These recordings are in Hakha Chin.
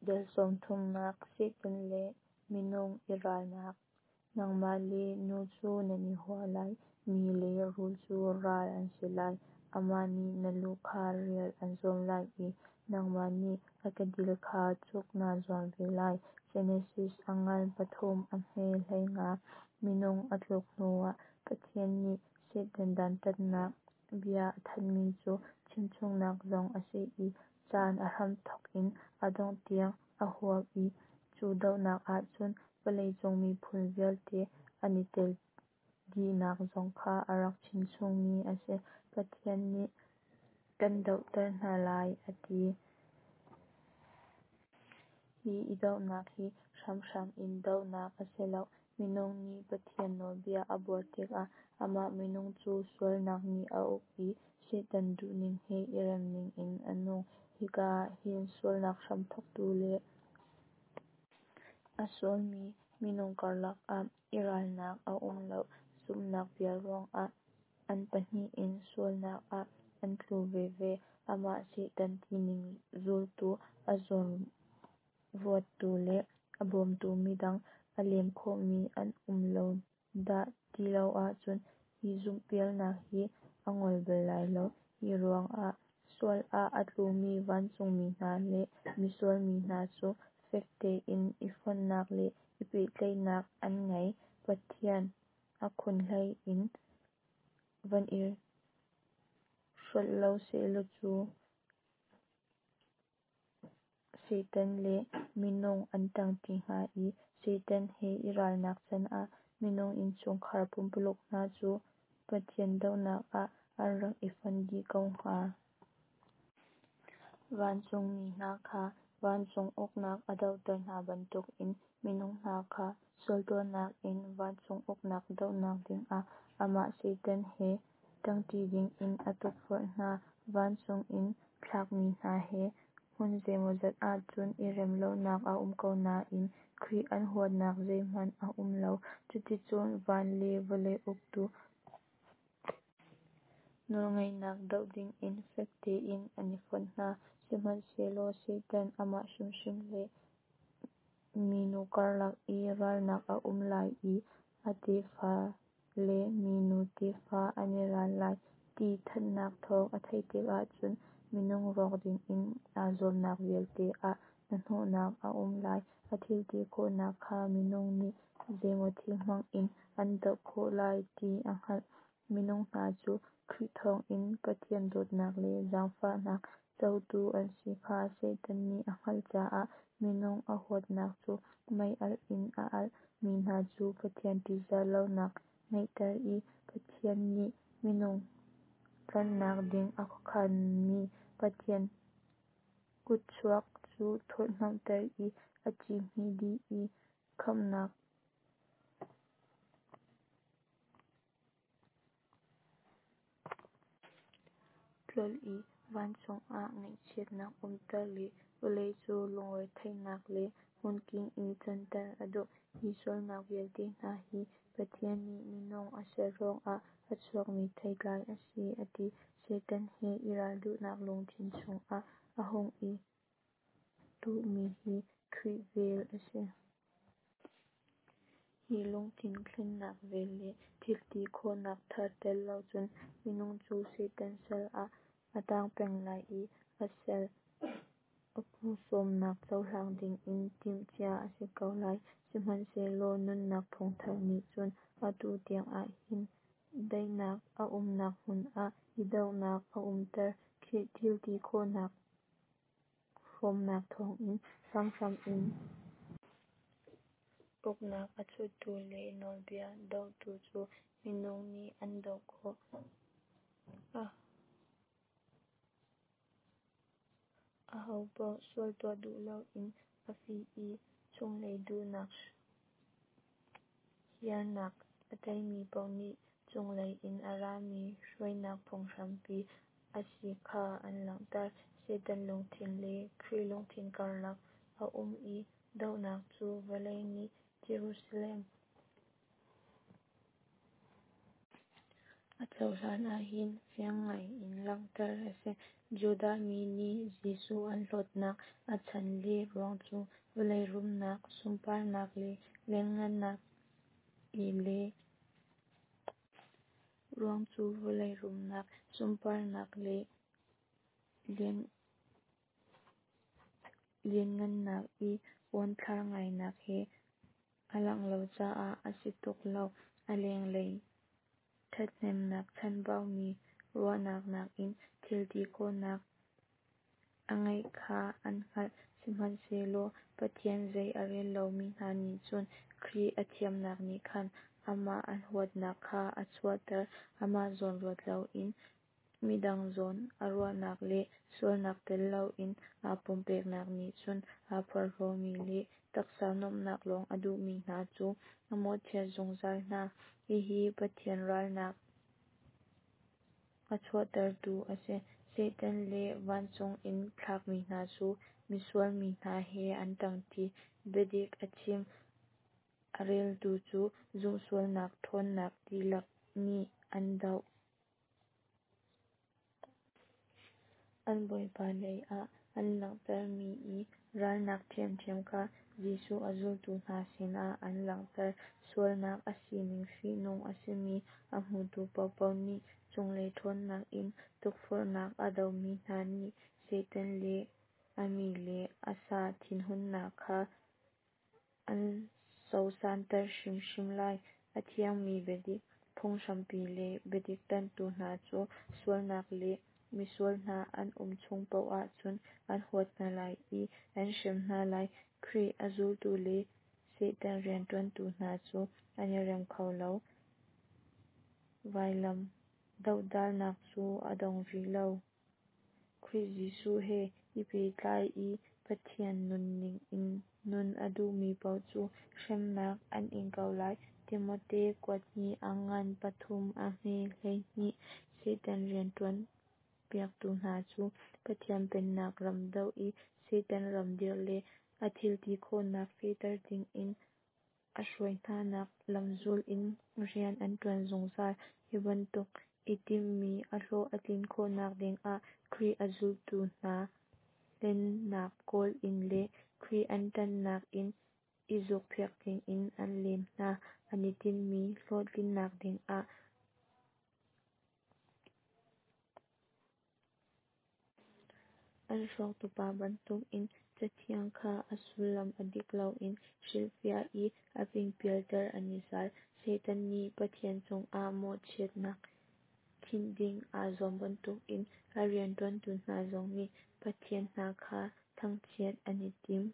Dal 30nak Satan le Minung i Ralnak Nangmah le nu cu nan i hua lai, mi le rul cu ral an si lai. Amah nih na lu kha rial an zuam lai i nangmah nih a kedil kha cuk naa zuam ve lai. Genesis a ngan 3 a hme 15. Minung a tluk hnuah Pathian nih Satan dantatnak bia a thanhmi cu chimchungnak zong a si i caan a hramthawk in a dongh tiang a huap i cu dohnak ahcun vawleicung miphun vialte an i tel dihnak zong kha a rak chimchungmi a si. Pathian nih kan dohter hna lai a ti. Hi i dohnak hi hramhram in dohnak a si lo. Minung nih Pathian nawlbia a buar tikah amah minung cu sualnak nih a uk i Satan duhning he i remning in a nung. Hika ah hin sualnak hramthawktu le a sualmi minung karlak ah i ralnak a um lo. Zumhnak bia ruangah an pahnih in sualnak ah an tlu veve. Amah Satan tining zultu, a zawnruattu le a bawmtu midang a lem khawhmi an um lo dah ti lo ahcun hi zumhpialnak hi a ngol bal lai lo. Hi ruangah sual ah a tlumi vancungmi hna le misual mi hna cu fek tein i fonhnak le i pehtlaihnak an ngei. Pathian a khunhlei in van i hrolh lo sehlaw cu Satan le minung an tangti hnga i Satan he i ralnak canah minung innchungkhar pumpululuk hna cu Pathian dohnak ah an rak i fon dih ko hnga. Vancungmi hna kha vancung uknak a dohter hna bantukin minung hna kha sualtuahnak in vancung uknak dohnak dingah amah Satan he tangti dingin a tukforh hna. Vancung in thlakmi hna he hmun zeimawzat ahcun i rem lonak a um ko nain Khrih an huatnak zeihmanh a um lo. Cuticun van le vawlei uktu nawlngeihnak doh dingin fek tein an i fonh hna. Sihmanhsehlaw Satan amah hrimhrim le minu karlak i ralnak a um lai i a tefa le minu tefa an i ral lai ti thanhnak thawng a theih tikah cun minung rawk dingin aa zuamnak vialte ah hnahnawhnak a um lai. A thilti khawhnak kha minung nih zeimaw thil hmang in an doh khawh lai ti a hngalh. Minung hna cu Khrih thawngin Pathian dawtnak le zaangfahnak cotu an si kha Satan nih a hngalh caah minung a huatnak cu mei-alh in a alh. Mi hna cu Pathian ṭihzah lonak ngeihter i Pathian nih minung tlanhnak ding a khuakhanmi Pathian kutchuak cu thurhhnawmhter i a ci hmih dih i khamhnak tlolh i vancung ah ngaihchiatnak umter le vawlei cu lungretheihnak le hmunking in canter a duh. Hi sualnak vialte hna hi Pathian nih minung a ser ruangah a chuakmi theitlai a si a ti. Satan he i ral duhnak lungthin chungah a hung i tuhmi hi Khrih vel a si. Hi lungthin thlennak vel le thilti khawhnak thar tel lo cun minung cu Satan sal ah a tang peng lai i a sal a pu sawmnak cohlang dingin timhcia a si ko lai. Sihmanhsehlaw nunnak thawngtha nih cun atu tiangah hin daihnak a umnak hmun ah i dohnak a umter. Khrih thilti khawhnak hrawmnak thawngin hramhram in uknak a chuttu le nawlbia dohtu cu minung nih an doh khawh. Ahopaoh sual tuah duh loin a fih i chunglei duhnak hiarnak a teimi paoh nih cunglei in a rami hruainak phunghrampi a si kha an langhter. Satan lungthin le Khrih lungthin karlak a um i dohnak cu vawlei nih Jerusalem. A cohlan ahhin fiang ngai in langhter a si. Judah mi nih Jesuh an hlawtnak a chan le ruang cu vawlei rumnak, sunparnak le lianhngannak i le ruang cu vawlei rumnak, sunparnak le lianhngannak i uanthlar ngainak he aa langh lo caah a si tuk lo. A lenglei ṭhathnemnak chanbaumi ruahnak nakin thil ti khawhnak a ngeih kha an hngalh. Sihmanhsehlaw Pathian zei a rel lomi hna nih cun Khrih a thiamnak nih khan amah an huatnak kha a chuahter. Amah zawn ruat loin midang zawn a ruahnak le sualnak tel loin aa pumpeknak nih cun aa porhlawmi le taksa nuamhnak lawng a duhmi hna cu a mawhchiat zungzal hna. Hihi Pathian ralnak a chuahtertu a si. Satan le vancung in thlakmi hna cu misual mi hna he an ṭangṭi. Biadik a chim a reltu cu zumhsualnak ṭhawnnak dihlak nih an doh. An Bawipa lei ah an langhtermi i ralnak ṭhiamṭhiam kha Jesuh a zultu hna sinah an langhter. Sualnak a sining fihnung a simi a hmutu paohpaoh nih cunglei ṭhawnnak in tukforhnak a domi hna nih Satan le a mi le a sa thinhunnak kha an sosanter hrimhrim lai. A thiangmi biadik phunghrampi le biadik ṭanhtu hna cu sualnak le misual hna an um chung paoh ahcun an huat hna lai i an hrem hna lai. Khrih a zultu le Satan rianṭuantu hna cu an i rem kho lo. Vailam dohdalnak cu a dong rih lo. Khrih Jesuh he i pehtlai i Pathian nunning in nun a duhmi paoh cu hremnak an ing ko lai. Timote kuathnih a ngan pathum a hme 12. Satan rianṭuan piaktu hna cu Pathian pennak ram doh i Satan ram dirh le a thilti khawhnak fehter dingin a hruai hnanak lamzul in rian an ṭuan zungzal. Hi bantuk i timhmi a hlawh a tlin khawhnak dingah Khrih a zultu hna hlennak kawl in le Khrih an ṭanhnak in i zukphiak dingin an lem hna. An i tinhmi hlawhtlinnak dingah an hrawktupa bantukin Cathiang kha a sullam a dik loin hrilhfiah i a pingpialter an i zal. Satan nih Pathian cungah mawhchiatnak khinh ding aa zuam bantukin a rianṭuantu hna zong nih Pathian hna kha thangchiat an i tim.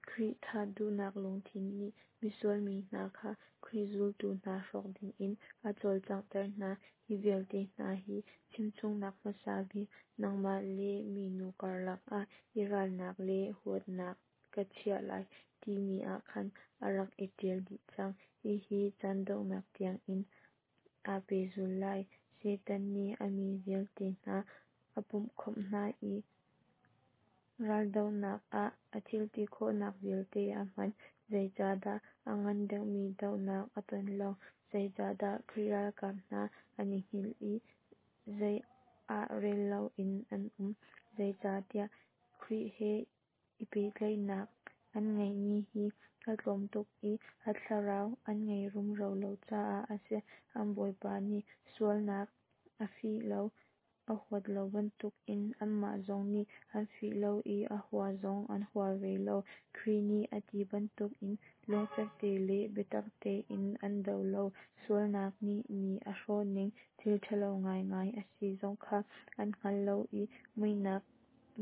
Khrih thah duhnak lungthin nih misual mi hna kha Khrih zultu hna hrawk dingin a cawlcanghter hna. Hi vialte hna hi chimchungnak hmasa bik, nangmah le minu karlak ah i ralnak le huatnak ka chiah lai, timi ah khan a rak i ṭial dih cang. Hihi caan donghnak tiangin aa pehzul lai. Satan nih a mi vialte hna a pumhkhawmh hna i raldohnak ah a thilti khawhnak vialte a hman. Zeicahdah a ngan deuhmi dohnak a ton lo? Zeicahdah Khrih ralkap hna an i hngilh i zei ah rel loin an um? Zeicahtiah Khrih he i pehtlaihnak an ngeihmi hi a tlawm tuk i a thlarau an ngei rumro lo caah a si. An Bawipa nih sualnak a fih lo, a huat lo bantukin anmah zong nih an fih lo i a hua zong an hua ve lo. Khrih nih a ti bantukin lungfek te le biatak tein an do lo. Sualnak nih mi a hrawhning thil ṭhalo ngaingai a si zong kha an hngal lo i muihnak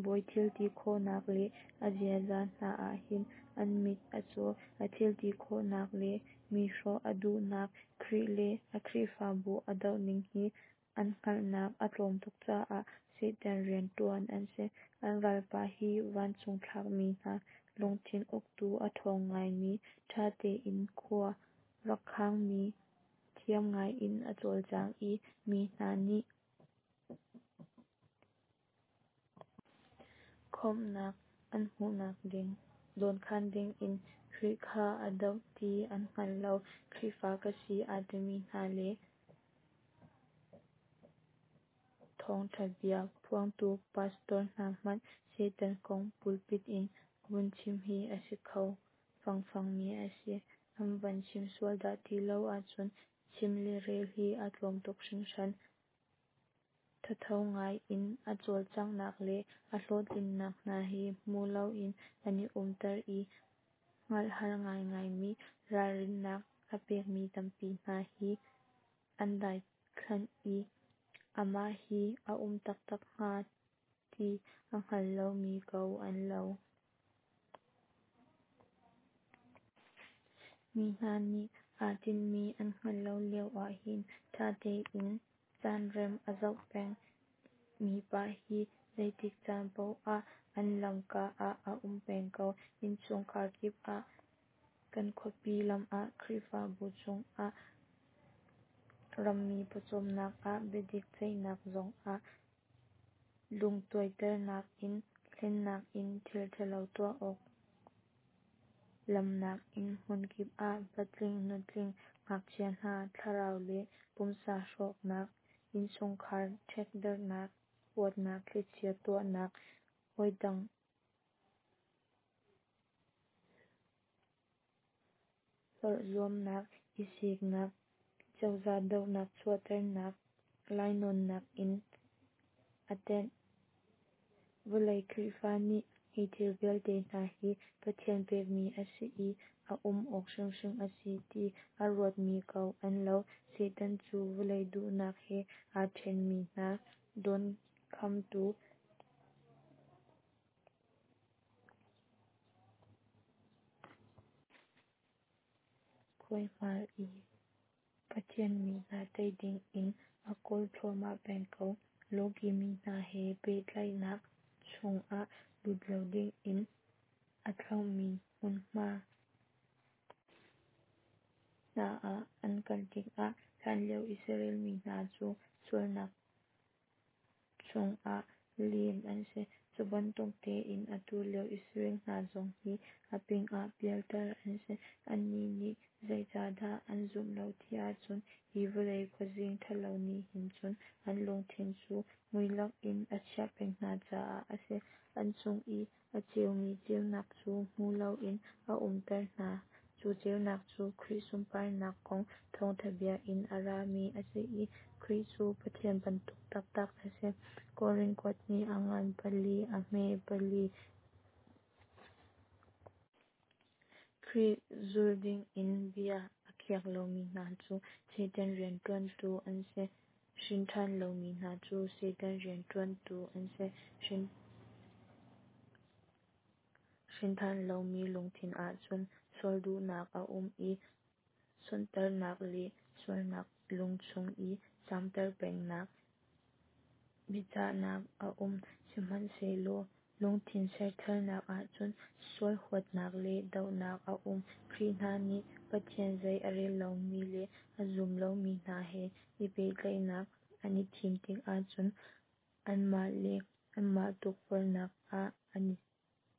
bawi thilti khawhnak le a ziaza hna ah hin an mit a caw. A thilti khawhnak le mi hrawh a duhnak, Khrih le a Khrihfabu a dohning hi an hngalhnak a tlawm tuk caah Satan rianṭuan an si. An ralpa hi vancung thlakmi hna lungthin uktu a ṭhawng ngaimi, ṭha tein khua rak khangmi, thiam ngaiin a cawlcang i mi hna nih khamhnak an hmuhnak ding. Dawnkhan dingin Khrih kha a doh ti an hngal lo. Khrihfa ka si aa timi hna le thawngtha bia phuangtu pastor hna hmanh Satan kong pulpit in vun chim hi a si kho fangfangmi a si. An van chim sual dah ti lo ahcun chim le rel hi a tlawm tuk hringhran. Thatho ngai in a cawlcanghnak le a hlawhtlinnak hna hi hmu loin an i umter i hngalh har ngaingaimi ralrinnak a pekmi tampi hna hi an daithlanh i amah hi a um taktak hnga ti a hngal lomi ko an lo. Mi hna nih aa tinhmi an hngalh lo lio ahhin ṭha tein caan rem a zoh peng mipa hi zeitik caan paoh ah an lamka ah a um peng ko. Innchungkhar kip ah, kan khuapi lam ah, Khrihfabu chungah, rammi pawcawmnak ah, biadik ceihnak zungah, lungtuaiternak in, hlennak in, thil ṭhalo tuah awk lamhnak in hmunkip ah patling, nutling, ngakchia hna thlarau le pumsa hrawknak, innchungkhar ṭhekdarhnak, huatnak thlichia tuahnak, hawidang hlorh zuamnak, i siknak, cozah dohnak chuahternak, lainawnnak in a tenh. Vawlei Khrihfa nih hi thil vialte hna hi Pathian pekmi a si i a um awk hrimhrim a si ti a ruatmi ko an lo. Satan cu vawlei duhnak he aa ṭhenmi hna dawnkhamtu khuaihmal i Pathian mi hna tei dingin a kawl thluahmah peng ko. Lawki mi hna he pehtlaihnak chungah lut lo dingin a thlauhmi hmunhma hna ah an kal tikah hlanlio Israel mi hna cu sualnak chungah lem an si. Cu bantuk tein atu lio Israel hna zong hi a pingah pialter an si. Annih nih zeicahdah an zumh lo ti ahcun hi vawlei khuazing ṭhalo nih hin cun an lungthin cu muilak in a chiah peng hna caah a si. An chung i a ceumi ceunak cu hmu loin a umter hna. Cu ceunak cu Khrih sunparnak kong thawngṭha bia in a rami a si i Khrih cu Pathian bantuk taktak a si. Korin kuat nih a ngan pali, a hme pali. Khrih zul dingin bia a khiak lomi hna cu Satan rianṭuantu an si. Hrinṭhan lomi hna cu Satan rianṭuantu an si. Hrinṭhan lomi lungthin ahcun sual duhnak a um i sonhtarhnak le sualnak lungchung i camter pengnak biachahnak a um. Sihmanhsehlaw lungthin sertharnak ahcun sual huatnak le dohnak a um. Khrih hna nih Pathian zei a rel lomi le a zum lomi hna he i pehtlaihnak an i thim tik ahcun anmah le anmah tukforhnak ah an i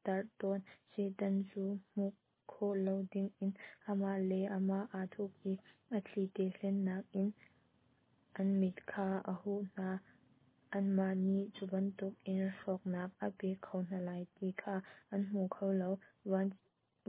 tarh tawn. Satan cu hmuh khawh lo dingin amah le amah aa thup i a thlite hlennak in an mit kha a huh hna. Anmah nih cu bantukin hrawknak a pek kho hna lai ti kha an hmu kho lo.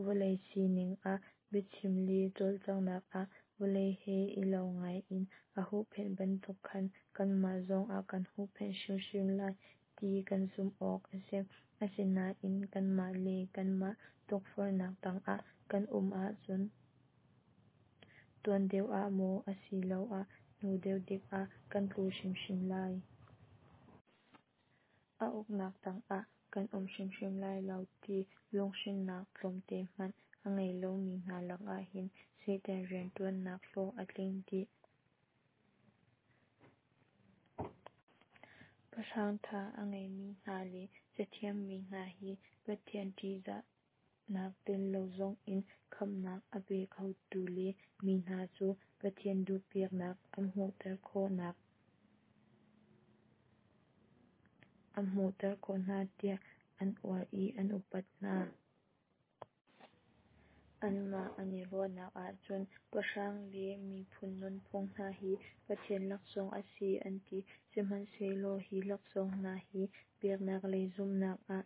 Vawlei sining ah biachim le cawlcanghnak ah vawlei he i lo ngaiin a huhphenh bantuk khan kanmah zong a kan huhphenh hrimhrim lai ti kan zumh awk a si. Asinain kanmah le kanmah tukforhnak tangah kan um ahcun tuan deuh ah maw asiloah hnu deuh dik ah kan tlu hrimhrim lai. A uknak tangah kan um hrimhrim lai lo ti lunghrinnak tlawmte hmanh a ngei lomi hna lakah hin Satan rianṭuannak hlawh a tling dih. Pahrang ṭha a ngeimi hna le cathiammi hna hi Pathian ṭihzahnak tel lo zongin khamhnak a pe khotu le mi hna cu Pathian duhpiaknak a hmuhter khawh hna tiah an uar i an upat hna. Anmah an i ruahnak ahcun pahrang le miphun nunphung hna hi Pathian laksawng a si an ti. Sihmanhsehlaw hi laksawng hna hi biaknak lei zumhnak ah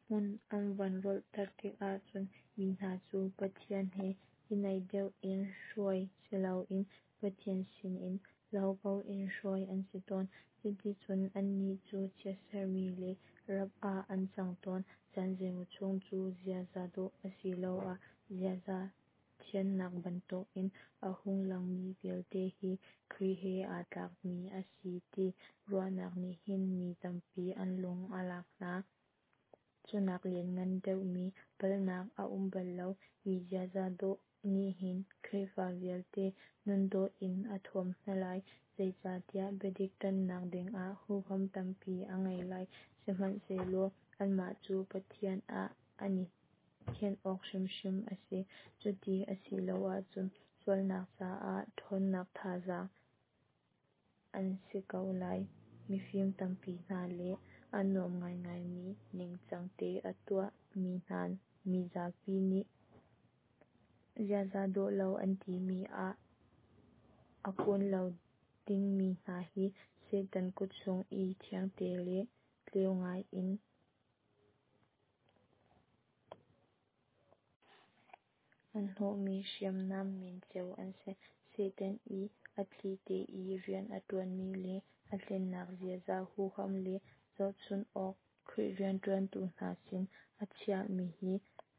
hmun an van rolhter tikah cun mi hna cu Pathian he i naih deuh in hruai siloin Pathian sinin lo ko in hruai an si tawn. Cuticun annih cu chiatserhmi le rap ah an cang tawn. Caan zeimaw chung cu ziaza dawh asiloah ziaza thiannak bantukin a hung langmi vialte hi Khrih he aa tlakmi a si ti ruahnak nih hin mi tampi an lung a lak hna. Cunak lianngan deuhmi palhnak a um bal lo. Hi ziaza dawh nih hin Khrihfa vialte nundawh in a thuam hna lai, zeicahtiah biadik ṭanhnak dingah huham tampi a ngei lai. Sihmanhsehlaw anmah cu Pathian ah an i thianh awk hrimhrim a si, cuti a si lo ahcun sualnak caah ṭhawnnak thazang an si ko lai. Mifim tampi hna le a nuam ngaingaimi ningcang te a tuahmi hna mizapi nih ziaza dawh lo an timi ah a kun lo dingmi hna hi Satan kut chung i thiangte le tleu ngaiin an hnawhmi hriamnam men cio an si. Satan i a thlite i rian a ṭuanmi le a hlennak ziaza huham le zohchunh awk Khrih rianṭuantu hna sin a chiahmi hi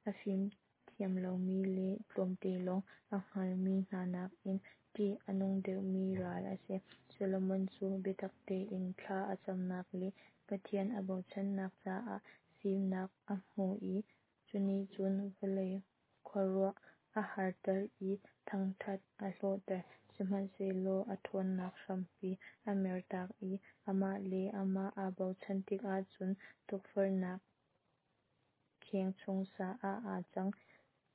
a fimthiam lomi le tlawmte lawng a hngalmi hna nakin ṭih a nung deuhmi ral a si. Solomon cu biatak tein thla a camnak le Pathian a bochannak caah fimnak a hmu i cunih cun vawlei khuaruah a harter i thangṭhat a hlawhter. Sihmanhsehlaw a ṭhawnnak hrampi a mertak i amah le amah aa bochan tikah cun tukforhnak kheng chung sa ah aa cang.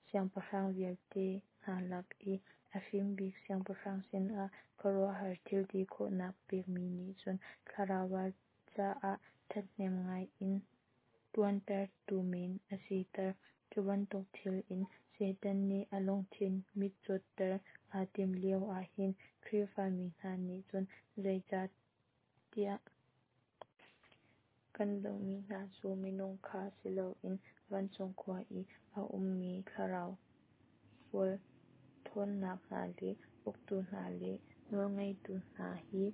Siangpahrang vialte hna lak i a fim bik siangpahrang sinah khuaruahhar thil ti khawhnak pekmi nih cun thlarau ral caah ṭhahnem ngai in ṭuantertu men a siter. Cu bantuk thil in Satan nih a lungthin mitcawtter aa timh lio ahhin Khrihfa mi hna nih cun zeicahtiah kan dohmi hna cu minung kha si loin vancung khua i a ummi thlarau sual ṭhawnnak hna le uktu hna le nawlngeitu hna hi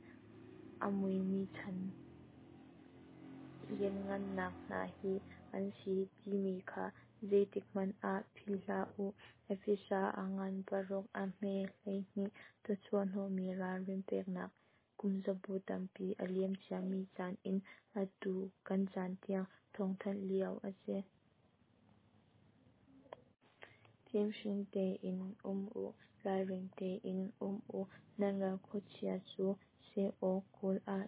a muimi chan lianhngannak hna hi an si timi kha zeitikhmanh ah philh hlah u. Efesa a ngan paruk a hme 12 Thawchuah hnawhmi ralrin peknak Kumzabu tampi a liam ciami caan in atu kan caan tiang thawngthanh lio a si. Fimhring tein um u, ralring tein um u. Nan ral khuachia cu seh awk kawl ah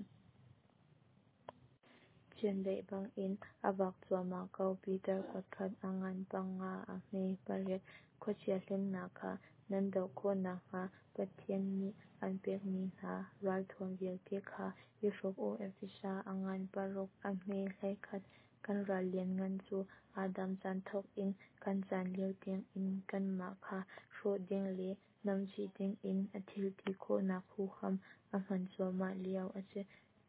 chiandeih bangin a vak cuahmah ko. Piter kuatkhat a ngan panga a hme pariat. Khuachia hlennak kha nan doh khawh nakhnga Pathian nih an pekmi hna ralthuam vialte kha i hruk u. Efesa a ngan paruk a hme 11 Kan ral lianngan cu Adam chan thawk in kan chan lio tiangin kanmah kha hrawh ding le namchih dingin a thilti khawhnak huham a hman cuahmah lio a si.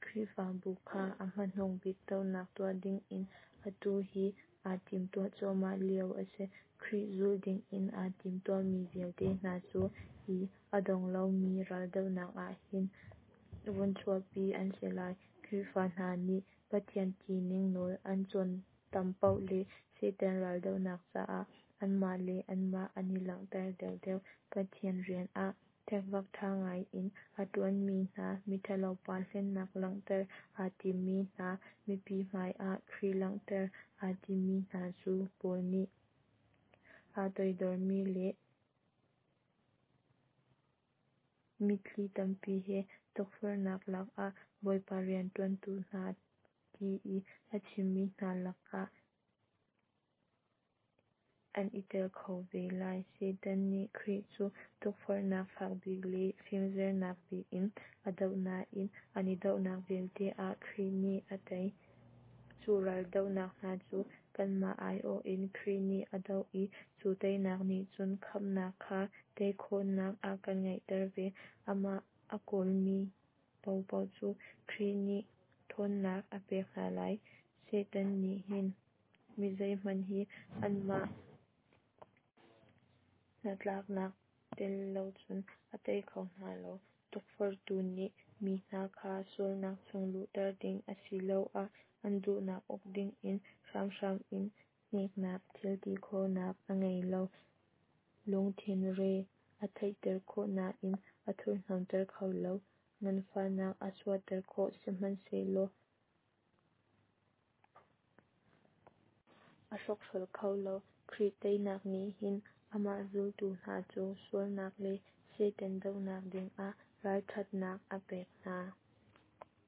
Khrihfabu kha a hmanung bik dohnak tuah dingin atu hi aa timhtuah cuahmah lio a si. Khrih zul dingin aa timtuahmi vialte hna cu hi a dong lomi raldohnak ah hin vun chuahpi an si lai. Khrihfa hna nih Pathian tining nawl an cawn tam paoh le Satan raldohnak caah anmah le anmah an i langhter deuhdeuh. Pathian rian ah ṭekvak ṭha ngai in a ṭuanmi hna, miṭhalo pa hlennak langhter aa timmi hna, mipi hmaiah Khrih langhter aa timmi hna cu Paul nih aa toidormi le mitthli tampi he tukforhnak lakah Bawipa rianṭuantu hna ti i a chimmi hna lakah an i tel kho ve lai. Satan nih Khrih cu tukforhnak fakbik le fimzernak bik in a doh nain an i dohnak vialte ah Khrih nih a tei. Cu raldohnak hna cu Kanmah aiawh in Khrih nih a doh i cu teinak nih cun khamhnak kha tei khawhnak a kan ngeihter ve. Amah a kawlmi paohpaoh cu Khrih nih thawnnak a pek hna lai. Satan nih hin mi zeihmanh hi anmah hnatlaknak tel lo cun a tei kho hna lo. Tukforhtu nih mi hna kha sualnak chung luhter ding asiloah an duhnak uk dingin hramhram in hneknak thilti khawhnak a ngei lo. Lungthin re a theihter khawh nain a thurhhnawmhter kho lo. Nganfahnak a chuahter khawh, sihmanhsehlaw a hrawkhrol kho lo. Khrih teinak nih hin amah zultu hna cu sualnak le Satan dohnak dingah ralṭhatnak a pek hna.